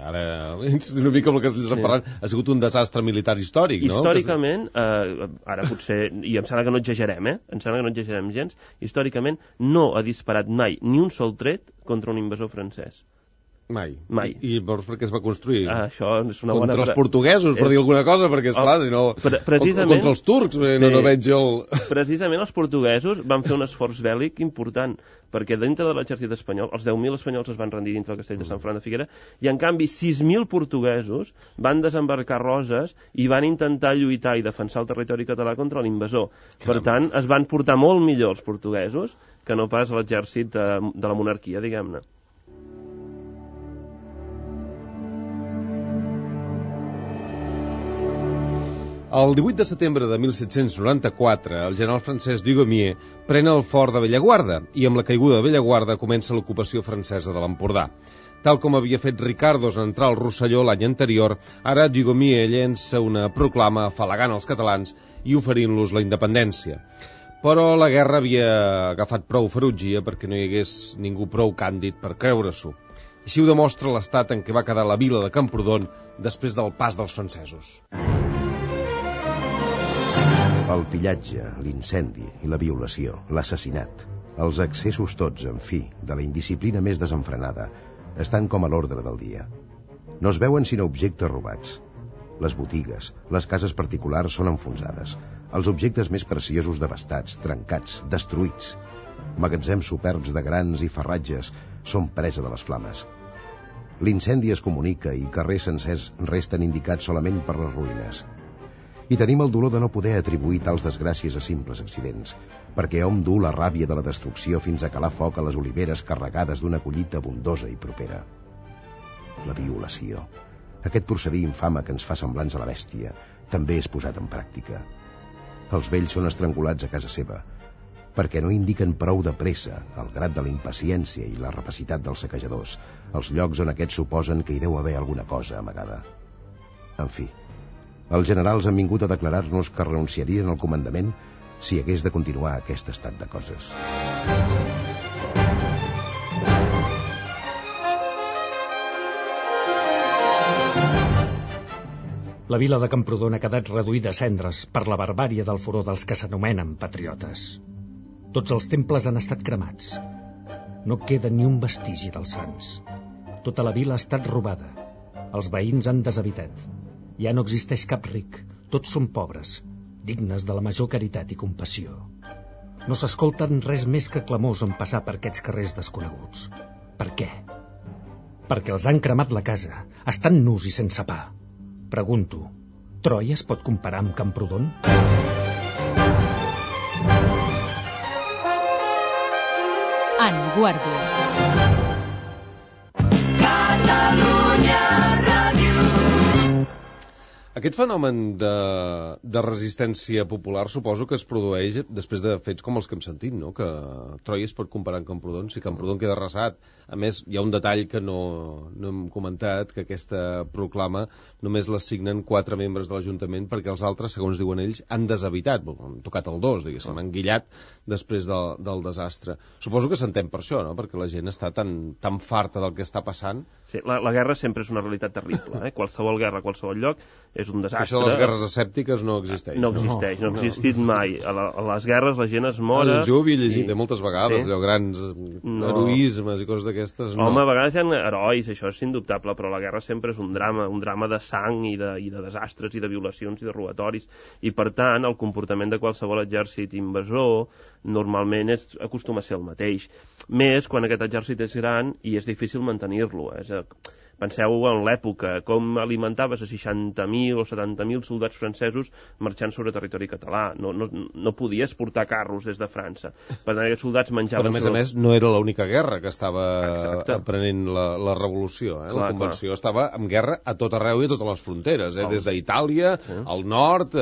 ara insistim una mica amb el castell de Sant Ferran, ha sigut un desastre militar històric, no? Històricament, ara potser, i em sembla que no exagerem, em sembla que no exagerem gens, històricament no ha disparat mai ni un sol tret contra un invasor francès. Mai. I llavors per què es va construir? Això és una bona... Contra els portuguesos, per dir alguna cosa, perquè, esclar, si no... Contra els turcs, no veig jo... Precisament els portuguesos van fer un esforç bèl·lic important, perquè dintre de l'exèrcit espanyol, els 10.000 espanyols es van rendir dintre del castell de Sant Ferran de Figuera, i en canvi 6.000 portuguesos van desembarcar Roses i van intentar lluitar i defensar el territori català contra l'invasor. Per tant, es van portar molt millor els portuguesos que no pas l'exèrcit de la monarquia, diguem-ne. El 18 de setembre de 1794, el general francès Dugommier pren el fort de Bellaguarda i amb la caiguda de Bellaguarda comença l'ocupació francesa de l'Empordà. Tal com havia fet Ricardos en entrar al Rosselló l'any anterior, ara Dugommier llença una proclama afalagant els catalans i oferint-los la independència. Però la guerra havia agafat prou ferotgia perquè no hi hagués ningú prou càndid per creure-s'ho. Així ho demostra l'estat en què va quedar la vila de Camprodon després del pas dels francesos. El pillatge, l'incendi i la violació, l'assassinat, els excessos tots, en fi, de la indisciplina més desenfrenada, estan com a l'ordre del dia. No es veuen sinó objectes robats. Les botigues, les cases particulars són enfonsades, els objectes més preciosos devastats, trencats, destruïts. Magatzems superbs de grans i farratges són presa de les flames. L'incendi es comunica i carrers sencers resten indicats solament per les ruïnes. I tenim el dolor de no poder atribuir tals desgràcies a simples accidents, perquè hom duu la ràbia de la destrucció fins a calar foc a les oliveres carregades d'una collita abundosa i propera. La violació, aquest procedir infame que ens fa semblants a la bèstia, també és posat en pràctica. Els vells són estrangulats a casa seva, perquè no indiquen prou de pressa el grat de la impaciència i la rapacitat dels saquejadors, els llocs on aquests suposen que hi deu haver alguna cosa amagada. En fi, els generals han vingut a declarar-nos que renunciarien al comandament si hagués de continuar aquest estat de coses. La vila de Camprodon ha quedat reduïda a cendres per la barbàrie del furor dels que s'anomenen patriotes. Tots els temples han estat cremats. No queda ni un vestigi dels sants. Tota la vila ha estat robada. Els veïns han deshabitat. Ja no existeix cap ric, tots són pobres, dignes de la major caritat i compassió. No s'escolten res més que clamors en passar per aquests carrers desconeguts. Per què? Perquè els han cremat la casa, estan nus i sense pa. Pregunto, Troia es pot comparar amb Camprodon? En Guàrdia. Aquest fenomen de resistència popular suposo que es produeix després de fets com els que hem sentit, no? Que Troia es pot comparar amb Camprodon, si Camprodon queda arrasat. A més, hi ha un detall que no hem comentat, que aquesta proclama només la signen 4 membres de l'Ajuntament perquè els altres, segons diuen ells, han deshabitat, han tocat el dos, diguéssim, han guillat després del desastre. Suposo que s'entén per això, no? Perquè la gent està tan farta del que està passant. Sí, la guerra sempre és una realitat terrible, Qualsevol guerra a qualsevol lloc és és un desastre. Això de les guerres escèptiques no existeix. No existeix, no ha existit mai. A les guerres la gent es mora... Jo ho havia llegit moltes vegades, allò, grans heroismes i coses d'aquestes. Home, a vegades hi ha herois, això és indubtable, però la guerra sempre és un drama de sang i de desastres i de violacions i de robatoris. I, per tant, el comportament de qualsevol exèrcit invasor normalment acostuma a ser el mateix. Més quan aquest exèrcit és gran i és difícil mantenir-lo. Penseu en l'època, com alimentaves a 60.000 o 70.000 soldats francesos marxant sobre territori català. No podies portar carros des de França. Per tant, aquests soldats menjaven... Però, a més, no era l'única guerra que estava aprenent la revolució. La Convenció estava en guerra a tot arreu i a totes les fronteres, des d'Itàlia, al nord,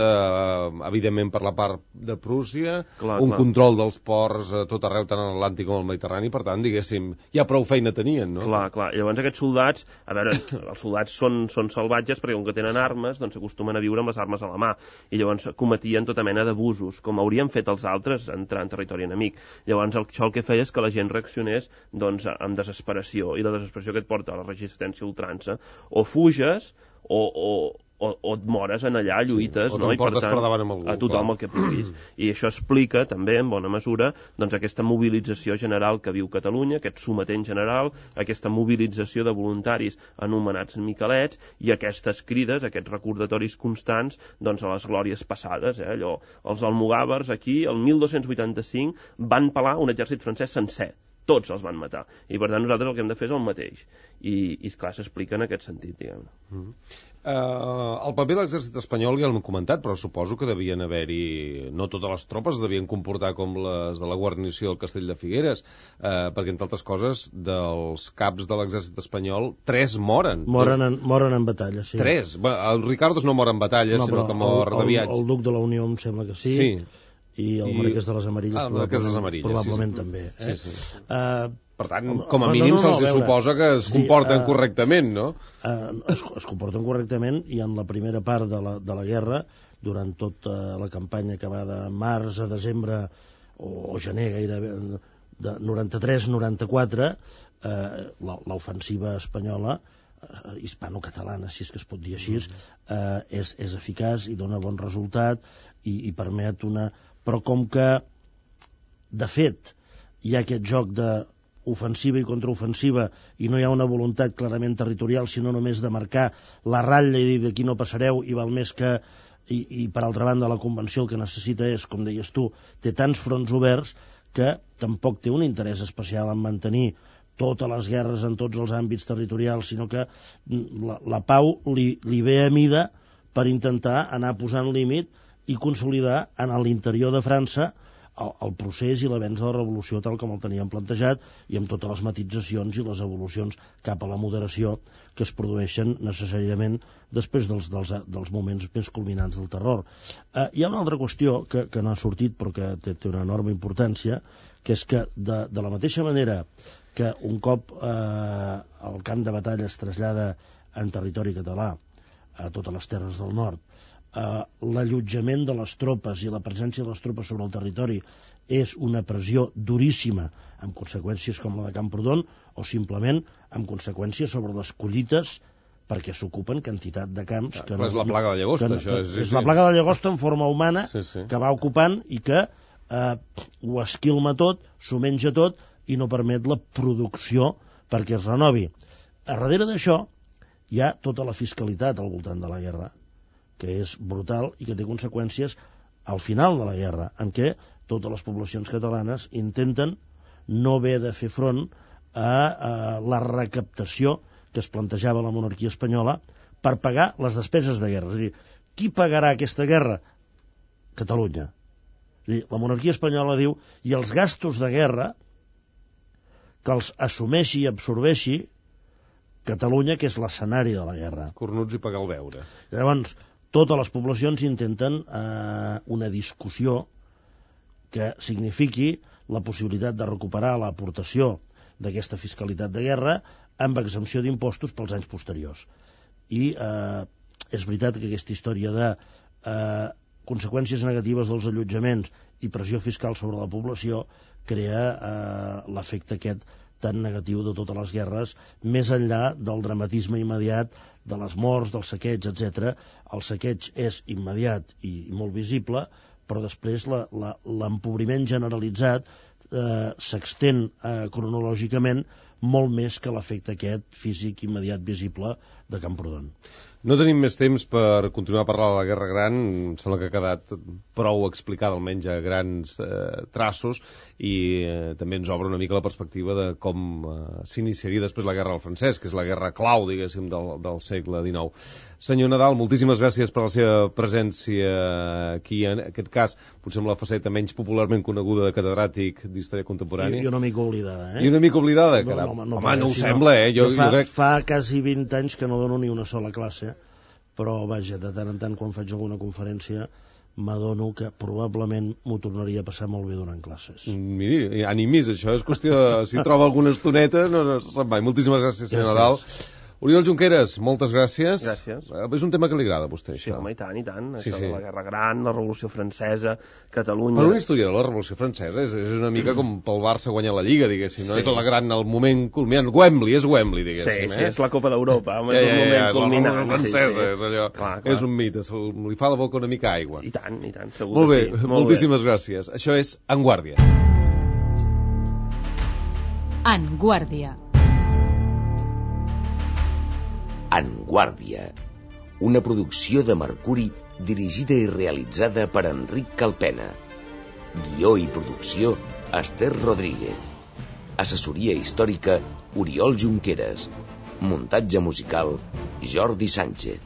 evidentment per la part de Prússia, control dels ports a tot arreu, tant a l'Atlàntic com al Mediterrani, per tant, diguéssim, ja prou feina tenien, no? Clar. Llavors aquests soldats, a veure, els soldats són salvatges perquè com que tenen armes, doncs s'acostumen a viure amb les armes a la mà i llavors cometien tota mena d'abusos, com haurien fet els altres entrar en territori enemic. Llavors això el que feia és que la gent reaccionés doncs amb desesperació, i la desesperació que et porta a la resistència a ultrança, o fuges o et mores en allà, lluites, o te'n portes per davant amb algú, a tothom el que puguis. I això explica també, en bona mesura, doncs aquesta mobilització general que viu Catalunya, aquest sometent general, aquesta mobilització de voluntaris anomenats miquelets i aquestes crides, aquests recordatoris constants doncs a les glòries passades. Allò, els almogàvers aquí, el 1285, van pelar un exèrcit francès sencer. Tots els van matar. I, per tant, nosaltres el que hem de fer és el mateix. I esclar, s'explica en aquest sentit, diguem-ne. El paper de l'exèrcit espanyol ja l'hem comentat, però suposo que devien haver-hi... No totes les tropes devien comportar com les de la guarnició del Castell de Figueres, perquè, entre altres coses, dels caps de l'exèrcit espanyol, 3 moren. Moren en batalla, sí. 3? El Ricardos no mor en batalla, sinó que mor de viatge. El duc de la Unió em sembla que sí. I el Marquès de les Amarilles, probablement també. Sí. Per tant, com a mínim se'ls suposa que es comporten correctament, no? Es comporten correctament, i en la primera part de la guerra, durant tota la campanya que va de març a desembre o gener gairebé, de 93-94, l'ofensiva espanyola, hispano-catalana, si és que es pot dir així, és eficaç i dona bon resultat i permet una... Però com que, de fet, hi ha aquest joc d'ofensiva i contraofensiva i no hi ha una voluntat clarament territorial, sinó només de marcar la ratlla i dir d'aquí no passareu, i val més que... I per altra banda, la Convenció el que necessita és, com deies tu, té tants fronts oberts que tampoc té un interès especial en mantenir totes les guerres en tots els àmbits territorials, sinó que la pau li ve a mida per intentar anar posant límit i consolidar en l'interior de França el procés i l'avenç de la revolució tal com el teníem plantejat, i amb totes les matitzacions i les evolucions cap a la moderació que es produeixen necessàriament després dels moments més culminants del terror. Hi ha una altra qüestió que no ha sortit però que té una enorme importància, que és que de la mateixa manera que un cop el camp de batalla es trasllada en territori català a totes les terres del nord, l'allotjament de les tropes i la presència de les tropes sobre el territori és una pressió duríssima, amb conseqüències com la de Camprodon, o simplement amb conseqüències sobre les collites, perquè s'ocupen quantitat de camps... És la plaga de llagosta, això. És la plaga de llagosta en forma humana que va ocupant i que ho esquilma tot, s'ho menja tot i no permet la producció perquè es renovi. A darrere d'això hi ha tota la fiscalitat al voltant de la guerra, que és brutal i que té conseqüències al final de la guerra, en què totes les poblacions catalanes intenten no haver de fer front a la recaptació que es plantejava la monarquia espanyola per pagar les despeses de guerra. És a dir, qui pagarà aquesta guerra? Catalunya. És a dir, la monarquia espanyola diu, i els gastos de guerra que els assumeixi i absorbeixi Catalunya, que és l'escenari de la guerra. Cornuts i pagar el beure. Llavors, totes les poblacions intenten una discussió que signifiqui la possibilitat de recuperar l'aportació d'aquesta fiscalitat de guerra amb exempció d'impostos pels anys posteriors. I és veritat que aquesta història de conseqüències negatives dels allotjaments i pressió fiscal sobre la població crea l'efecte aquest tan negatiu de totes les guerres, més enllà del dramatisme immediat de les morts, del saqueig, etc. El saqueig és immediat i molt visible, però després l'empobriment generalitzat s'extén cronològicament molt més que l'efecte aquest físic immediat visible de Camprodon. No tenim més temps per continuar a parlar de la Guerra Gran, em sembla que ha quedat prou explicada, almenys a grans traços, i també ens obre una mica la perspectiva de com s'iniciaria després la Guerra del Francès, que és la guerra clau, diguéssim, del segle XIX. Senyor Nadal, moltíssimes gràcies per la seva presència aquí, en aquest cas, potser amb la faceta menys popularment coneguda de catedràtic d'Història Contemporània. I una mica oblidada, I una mica oblidada, caram. No ho sembla, Jo crec... Fa quasi 20 anys que no dono ni una sola classe, però, vaja, de tant en tant, quan faig alguna conferència, m'adono que probablement m'ho tornaria a passar molt bé donant classes. Miri, animis, això és qüestió de... Si troba alguna estoneta, no se'n va. Moltíssimes gràcies, senyor Nadal. Oriol Junqueras, moltes gràcies. Gràcies. És un tema que li agrada a vostè, Sí, això. home, i tant. Sí, Això sí. de la Guerra Gran, la Revolució Francesa, Catalunya... Per un historiador, la Revolució Francesa és una mica com pel Barça guanyar la Lliga, diguéssim, no? És el moment culminant. Wembley, diguéssim. Sí, és la Copa d'Europa, és el moment culminant. La francesa, és allò. Clar. És un mite, li fa la boca una mica aigua. I tant, segur Molt bé, que sí. moltíssimes gràcies. Això és En Guàrdia. En Guàrdia. En Guàrdia, una producció de Mercuri dirigida i realitzada per Enric Calpena. Guió i producció, Esther Rodríguez. Assessoria històrica, Oriol Junqueras. Muntatge musical, Jordi Sánchez.